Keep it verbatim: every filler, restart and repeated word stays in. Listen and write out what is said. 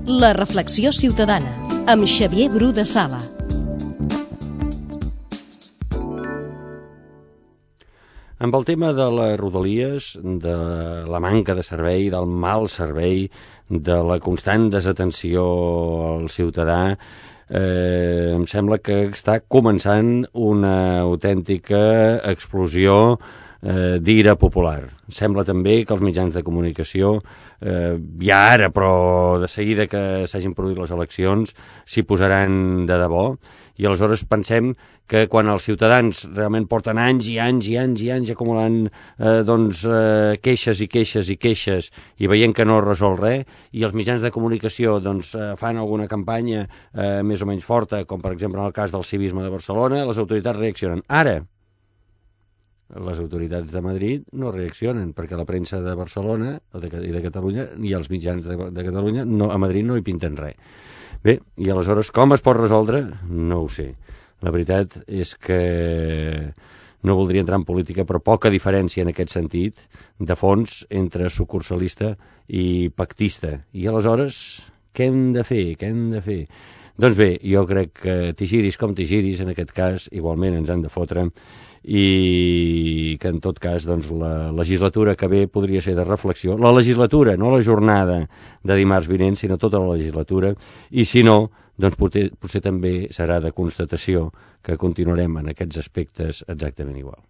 La reflexió ciutadana, amb Xavier Bru de Sala. Amb el tema de les rodalies, de la manca de servei, del mal servei, de la constant desatenció al ciutadà, eh, em sembla que està començant una autèntica explosió eh, d'ira popular. Sembla també que els mitjans de comunicació, eh, ja ara, però de seguida que s'hagin produït les eleccions, s'hi posaran de debò, i aleshores pensem que quan els ciutadans realment porten anys i anys i anys i anys acumulant eh, doncs, eh, queixes i queixes i queixes i veient que no es resol res, i els mitjans de comunicació doncs, eh, fan alguna campanya eh, més o menys forta, com per exemple en el cas del civisme de Barcelona, les autoritats reaccionen. Ara, les autoritats de Madrid no reaccionen, perquè la premsa de Barcelona de, i de Catalunya i els mitjans de, de Catalunya no, a Madrid no hi pinten res. Bé, i aleshores com es pot resoldre? No ho sé. La veritat és que no voldria entrar en política, però poca diferència en aquest sentit de fons entre sucursalista i pactista. I aleshores, què hem de fer? Què hem de fer? Doncs bé, jo crec que t'hi giris com t'hi giris, en aquest cas igualment ens han de fotre, i que en tot cas doncs, la legislatura que ve podria ser de reflexió. La legislatura, no la jornada de dimarts vinent, sinó tota la legislatura, i si no, doncs potser, potser també serà de constatació que continuarem en aquests aspectes exactament igual.